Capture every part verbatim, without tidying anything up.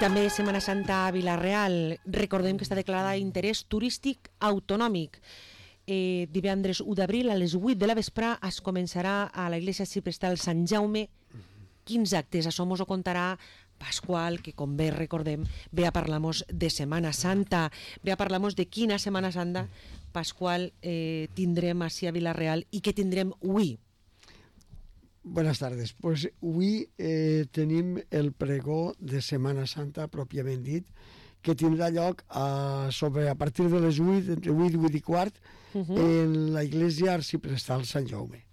també Setmana Santa a Vila-real. Recordem que està declarada d'interès turístic autonòmic. Eh, divendres u d'abril a les vuit de la vespre es començarà a la Iglesia Arxiprestal Sant Jaume quinze actes. Això mos ho contarà Pasqual, que com bé recordem ve a parlar-nos de Setmana Santa, ve a parlar-nos de quina Setmana Santa, Pasqual, eh, tindrem així a Vila-real i què tindrem avui. Buenas tardes. Pues avui eh, tenim el pregó de Setmana Santa, pròpiament dit, que tindrà lloc a, sobre, a partir de les vuit, entre vuit i vuit i quart, uh -huh. en la Iglesia Arxiprestal Sant Jaume.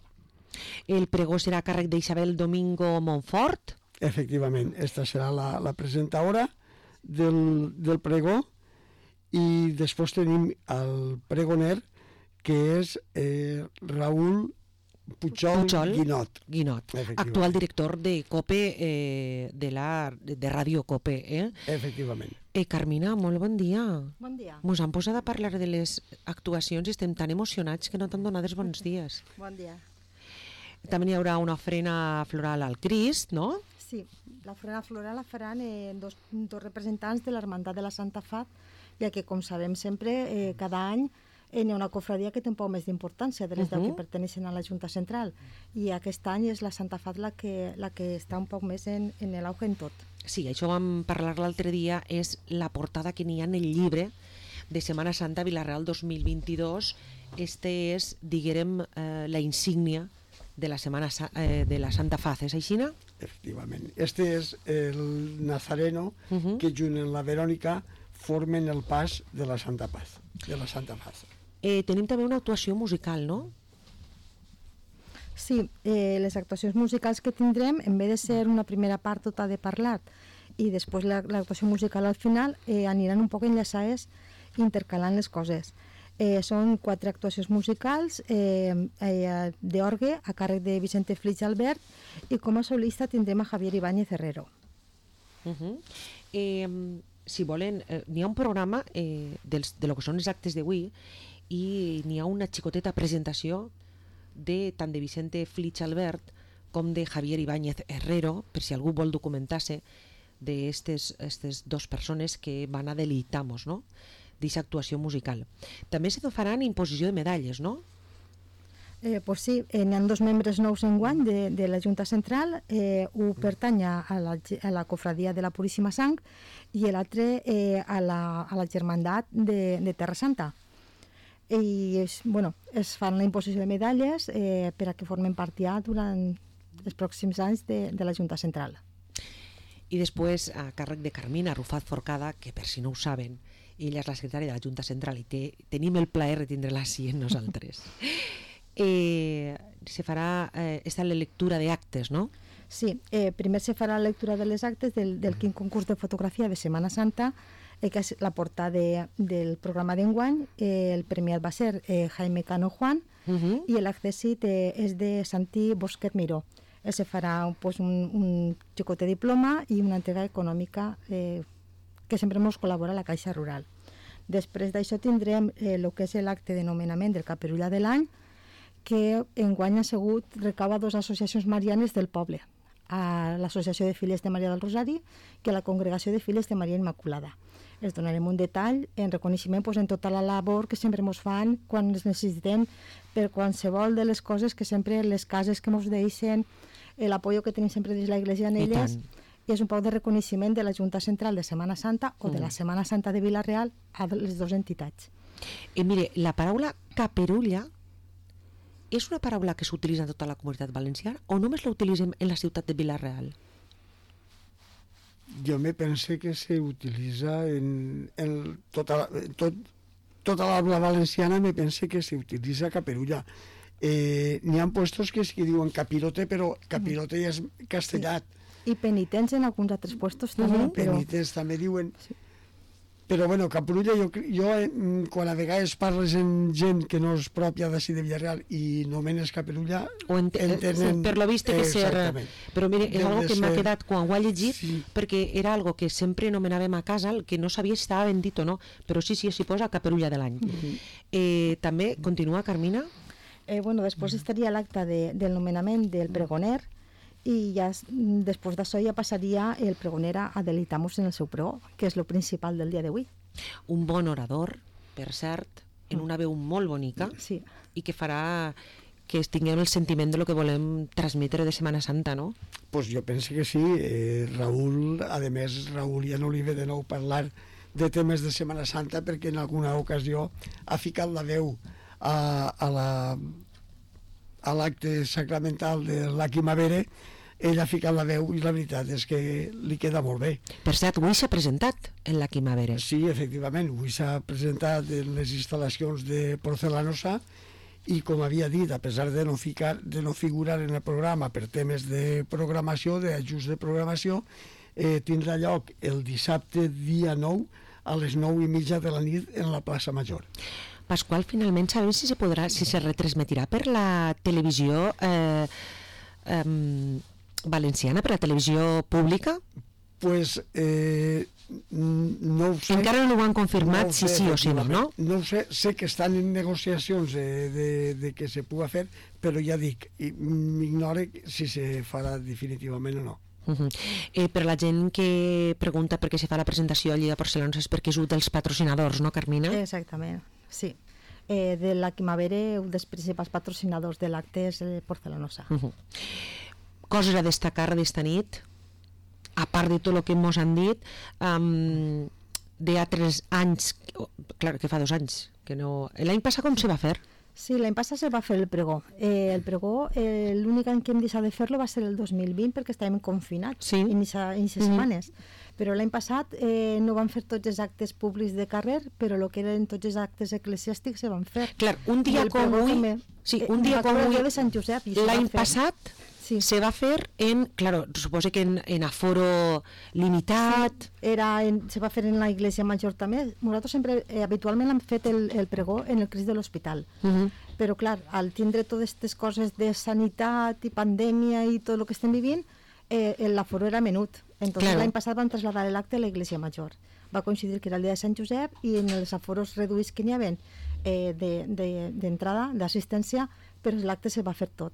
El pregó serà a càrrec d'Isabel Domingo Montfort? Efectivament, esta serà la, la presentadora del, del pregó, i després tenim el pregoner, que és eh, Raúl Pujol, Pujol Guinot, Guinot actual director de COPE, eh, de, la, de Ràdio COPE. Eh? Efectivament. Eh, Carmina, molt bon dia. Bon dia. Mos han posat a parlar de les actuacions i estem tan emocionats que no t'han donat els bons dies. Bon dia. També hi haurà una ofrena floral al Crist, no? Sí, l'ofrena floral la faran eh, dos, dos representants de l'Hermandat de la Santa Fat, ja que, com sabem sempre, eh, cada any Eh, hi ha una cofradia que té un poc més d'importància de les deu uh -huh. que perteneixen a la Junta Central, i aquest any és la Santa Fat la que, la que està un poc més en, en l'auge en tot. Sí, això vam parlar l'altre dia, és la portada que n'hi ha en el llibre de Setmana Santa Vila-real dos mil vint-i-dos. Este és, diguem, eh, la insígnia de la Setmana eh, de la Santa Faz, és així, no? Efectivament. Este és el Nazareno uh -huh. que junt amb la Verònica formen el pas de la Santa Paz, de la Santa Faz. Eh, tenim també una actuació musical, no? Sí, eh, les actuacions musicals que tindrem, en vez de ser una primera part tota de parlat i després l'actuació musical al final, eh, aniran un poc enllaçades intercalant les coses. Eh, són quatre actuacions musicals eh, eh, d'orgue a càrrec de Vicente Flix Albert, i com a solista tindrem a Javier Ibáñez Herrero. Uh -huh. eh, si volen, eh, n'hi ha un programa eh, dels, de lo que són els actes d'avui, i n'hi ha una xicoteta presentació de tant de Vicente Flix Albert com de Javier Ibáñez Herrero, per si algú vol documentar-se d'aquestes dues persones que van a deleitar-nos, no?, d'aquesta actuació musical. També se faran imposició de medalles, no? Eh, pues sí, eh, n'hi ha dos membres nous enguany de, de la Junta Central, eh, un pertany a la, a la cofradia de la Puríssima Sang i l'altre eh, a, la, a la Germandat de, de Terra Santa. I es, bueno, es fan la imposició de medalles eh, per a que formen part ja durant els pròxims anys de, de la Junta Central. I després, a càrrec de Carmina Arrufat Forcada, que per si no ho saben, ella és la secretària de la Junta Central i té, tenim el plaer de tindre-la així en nosaltres. eh, se farà eh, esta la lectura d'actes, no? Sí, eh, primer se farà la lectura de les actes del, del quin concurs de fotografia de Setmana Santa, eh, que és la portada de, del programa d'enguany. Eh, el premiat va ser eh, Jaime Cano Juan, uh -huh. i l'accèssit eh, és de Santi Bosquet Miró. Eh, se farà pues, un, un xicote diploma i una entrega econòmica eh, que sempre ens col·labora la Caixa Rural. Després d'això tindrem el eh, que és l'acte de nomenament del Caperulla de l'any, que enguany ha sigut recava dues associacions marianes del poble, a l'Associació de Filles de Maria del Rosari que a la Congregació de Filles de Maria Immaculada. Els donarem un detall en reconeixement pues, en tota la labor que sempre ens fan quan els necessitem per qualsevol de les coses que sempre les cases que ens deixen, l'apoyo que tenim sempre des de l'Església en elles, i és un poc de reconeixement de la Junta Central de Setmana Santa o de la Setmana Santa de Vila-real a les dues entitats. I mire, la paraula caperulla és una paraula que s'utilitza en tota la comunitat valenciana o només la utilitzem en la ciutat de Vila-real? Jo me pense que se utilitza en, en tota, tot, tota l'habla valenciana, me pense que se utilitza caperulla. Eh, n'hi ha puestos que es que diuen capirote, però capirote ja és castellat. Sí. I penitents en alguns altres puestos també. Uh -huh. Però... penitents també diuen... Sí. Però, bueno, caperulla, jo, jo quan a vegades parles amb gent que no és pròpia d'ací de Villarreal i nomenes caperulla, o ent entenen... Per lo vist que ser... Però mire, és algo que m'ha quedat quan ho he llegit, sí. perquè era algo que sempre nomenàvem a casa, el que no sabia si estava ben dit o no, però sí, sí, s'hi posa caperulla de l'any. Uh -huh. eh, també, continua, Carmina? Eh, bueno, després estaria l'acte de, del nomenament del pregoner, i ja, després d'això ja passaria el pregonera a deleitar-nos en el seu pregó, que és el principal del dia d'avui. Un bon orador, per cert, en una veu molt bonica, sí. i que farà que tinguem el sentiment de lo que volem transmetre de Setmana Santa, no? Pues jo penso que sí. Eh, Raül, a més, Raül ja no li ve de nou parlar de temes de Setmana Santa perquè en alguna ocasió ha ficat la veu a, a la a l'acte sacramental de la Quimavere. Ell ha ficat la veu i la veritat és que li queda molt bé. Per cert, avui s'ha presentat en la Quimavere. Sí, efectivament, avui s'ha presentat en les instal·lacions de Porcelanosa i, com havia dit, a pesar de no, ficar, de no figurar en el programa per temes de programació, d'ajust de programació, eh, tindrà lloc el dissabte dia nou a les nou i mitja de la nit en la plaça Major. Pasqual, finalment sabem si se podrà, si se retransmetirà per la televisió eh, eh, valenciana, per la televisió pública? Pues eh, no ho sé. Encara no ho han confirmat, no si sí o si no, no? No ho sé, sé que estan en negociacions de, de, de que se pugui fer, però ja dic, m'ignore si se farà definitivament o no. Uh-huh. eh, per la gent que pregunta per què se fa la presentació allí a Porcelanosa és perquè és un dels patrocinadors, no, Carmina? Exactament, sí. Eh, de la Quimavere, un dels principals patrocinadors de l'acte és Porcelanosa. Uh-huh. Coses a destacar d'esta nit, a part de tot el que ens han dit, um, d'altres anys, clar que fa dos anys, que no... L'any passat com se va fer? Sí, l'any passat se va fer el pregó. Eh, el pregó, eh, l'únic any que hem deixat de fer-lo va ser el dos mil vint perquè estàvem confinats sí. en aquestes mm. setmanes. Però l'any passat eh, no van fer tots els actes públics de carrer, però el que eren tots els actes eclesiàstics se van fer. Clar, un dia com avui... També, sí, eh, un dia com avui... de Sant Josep. L'any passat sí. se va fer en... Claro, suposo que en, en aforo limitat... Sí, era en, se va fer en la Iglesia Major també. Nosaltres sempre, eh, habitualment hem fet el, el pregó en el Crist de l'Hospital. Uh -huh. Però, clar, al tindre totes aquestes coses de sanitat i pandèmia i tot el que estem vivint, eh, l'aforo era menut. Entonces claro. L'any passat van traslladar l'acte a la Iglesia Major. Va coincidir que era el dia de Sant Josep i en els aforos reduïts que n'hi havia eh, d'entrada, de, de, d'assistència, però l'acte se va fer tot.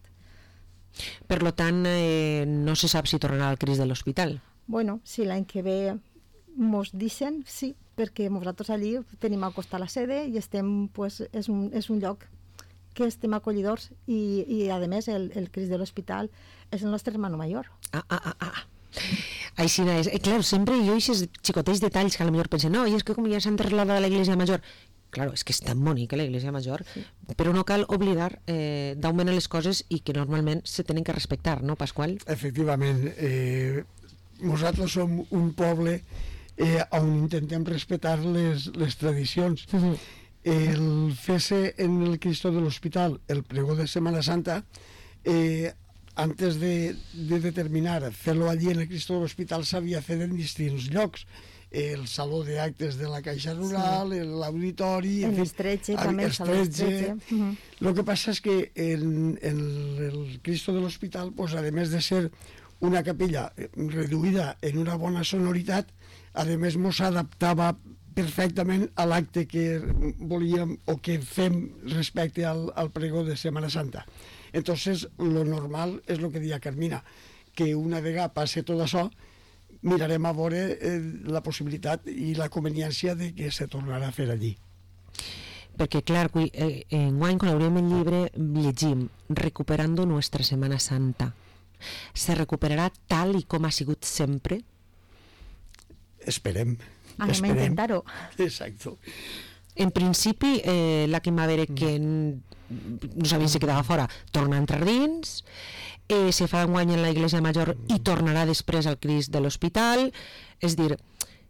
Per lo tant, eh, no se sap si tornarà al Crist de l'Hospital. Bueno, si l'any que ve mos deixen, sí, perquè nosaltres allí tenim al costat la sede i estem, pues, és, un, és un lloc que estem acollidors i, i a més, el, el Crist de l'Hospital és el nostre hermano mayor. Ah, ah, ah, ah. Així és. Eh, clar, sempre jo aquests xicotets detalls que a lo millor pensen, no, i és que com ja s'han traslladat a la Iglesia Major. Claro, és que és tan bonica la Iglesia Major, sí. Però no cal oblidar eh, d'augmentar les coses i que normalment se tenen que respectar, no, Pasqual? Efectivament. Eh, nosaltres som un poble eh, on intentem respectar les, les tradicions. Uh-huh. El fer-se en el Cristo de l'Hospital el pregó de Setmana Santa, eh, antes de, de determinar fer-lo allí en el Cristo de l'Hospital s'havia fet en distints llocs, el saló d'actes de la Caixa Rural, sí. l'auditori... En Estretxe, també, el saló Estretxe. Uh-huh. Lo que passa és que en, en el Cristo de l'Hospital, pues, a més de ser una capella reduïda en una bona sonoritat, a més mos adaptava perfectament a l'acte que volíem o que fem respecte al, al pregó de Setmana Santa. Entonces, lo normal és el que deia Carmina, que una vegada passe tot això, mirarem a veure eh, la possibilitat i la conveniència de que se tornarà a fer allí. Perquè, clar, eh, enguany, quan obrim el llibre, llegim Recuperando nuestra Semana Santa. Se recuperarà tal i com ha sigut sempre? Esperem. Anem a intentar-ho. Exacto. En principi, eh, la Quimavere, que no sabia si quedava fora, torna a entrar dins, eh, se fa enguany en la Iglesia Major i tornarà després al Crist de l'Hospital, és dir,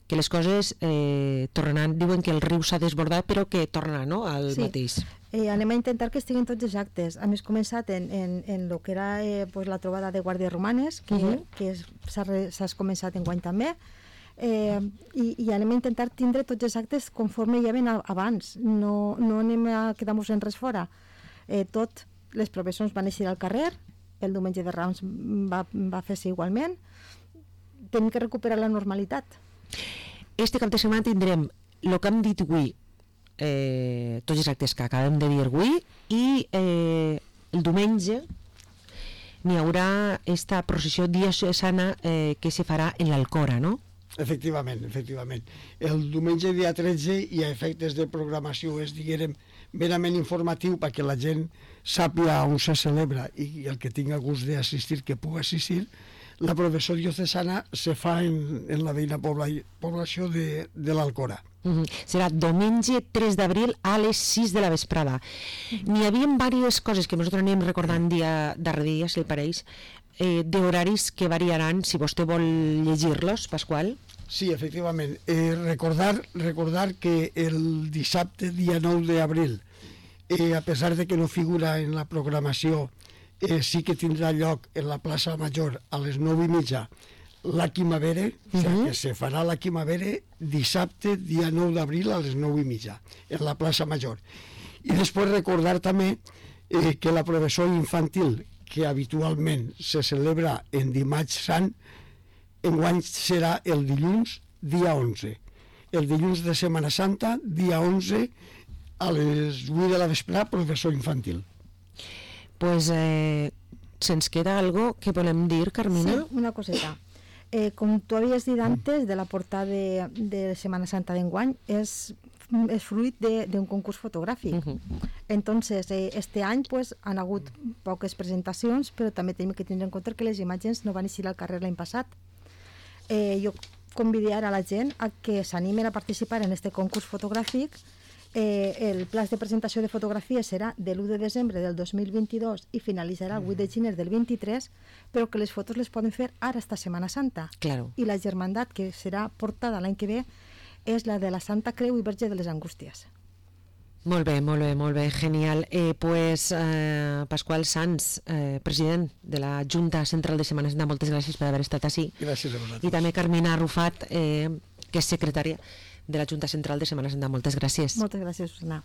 que les coses eh, tornaran, diuen que el riu s'ha desbordat, però que tornarà, no?, al sí. mateix. Eh, anem a intentar que estiguin tots els actes. A més, començat en, en, en el que era eh, pues, la trobada de guàrdies romanes, que, uh-huh. que s'ha començat enguany també, eh, i, i anem a intentar tindre tots els actes conforme hi havia abans. No, no anem a quedar-nos en res fora. Eh, tot, les professors van eixir al carrer, el diumenge de Rams va, va fer-se igualment. Tenim que recuperar la normalitat. Este cap de setmana tindrem el que hem dit avui, eh, tots els actes que acabem de dir avui, i eh, el diumenge n'hi haurà esta processió diocesana eh, que se farà en l'Alcora, no? Efectivament, efectivament. El diumenge dia tretze i a efectes de programació és, diguérem, merament informatiu perquè la gent sàpiga on se celebra i el que tinga gust d'assistir que pugui assistir. La processió diocesana se fa en, en la veïna pobla, població de, de l'Alcora. Uh-huh. Serà diumenge tres d'abril a les sis de la vesprada. N'hi havia diverses coses que nosaltres anem recordant dia darrere dia, si el pareix, eh, d'horaris que variaran, si vostè vol llegir-los, Pasqual. Sí, efectivament. Eh, recordar, recordar que el dissabte, dia nou d'abril, eh, a pesar de que no figura en la programació, eh, sí que tindrà lloc en la plaça Major a les nou i mitja la Quimavere, uh-huh. O sigui que se farà la Quimavere dissabte, dia nou d'abril a les nou i mitja, en la plaça Major. I després recordar també eh, que la processó infantil, que habitualment se celebra en dimarts sant, enguany serà el dilluns, dia onze. El dilluns de Setmana Santa, dia onze, a les vuit de la vesprada, processó infantil. Pues eh, se'ns queda algo que volem dir, Carmina? Sí, una coseta. Eh, com tu havies dit antes, de la portada de, de Setmana Santa d'enguany, és, és fruit d'un concurs fotogràfic. Uh-huh. Entonces, eh, este any pues, han hagut poques presentacions, però també tenim que tindre en compte que les imatges no van eixir al carrer l'any passat. Eh, jo convidar a la gent a que s'animen a participar en este concurs fotogràfic. Eh, el pla de presentació de fotografies serà de l'u de desembre del dos mil vint-i-dos i finalitzarà el vuit de gener del vint-i-tres, però que les fotos les poden fer ara esta Setmana Santa. Claro. I la germandat que serà portada l'any que ve és la de la Santa Creu i Verge de les Angústies. Molt bé, molt bé, molt bé, genial. Eh, pues, eh, Pasqual Sans, eh, president de la Junta Central de Setmana Santa, moltes gràcies per haver estat així. Gràcies a vosaltres. I també Carmina Arrufat, eh, que és secretària de la Junta Central de Setmana Santa. Moltes gràcies. Moltes gràcies, Susana.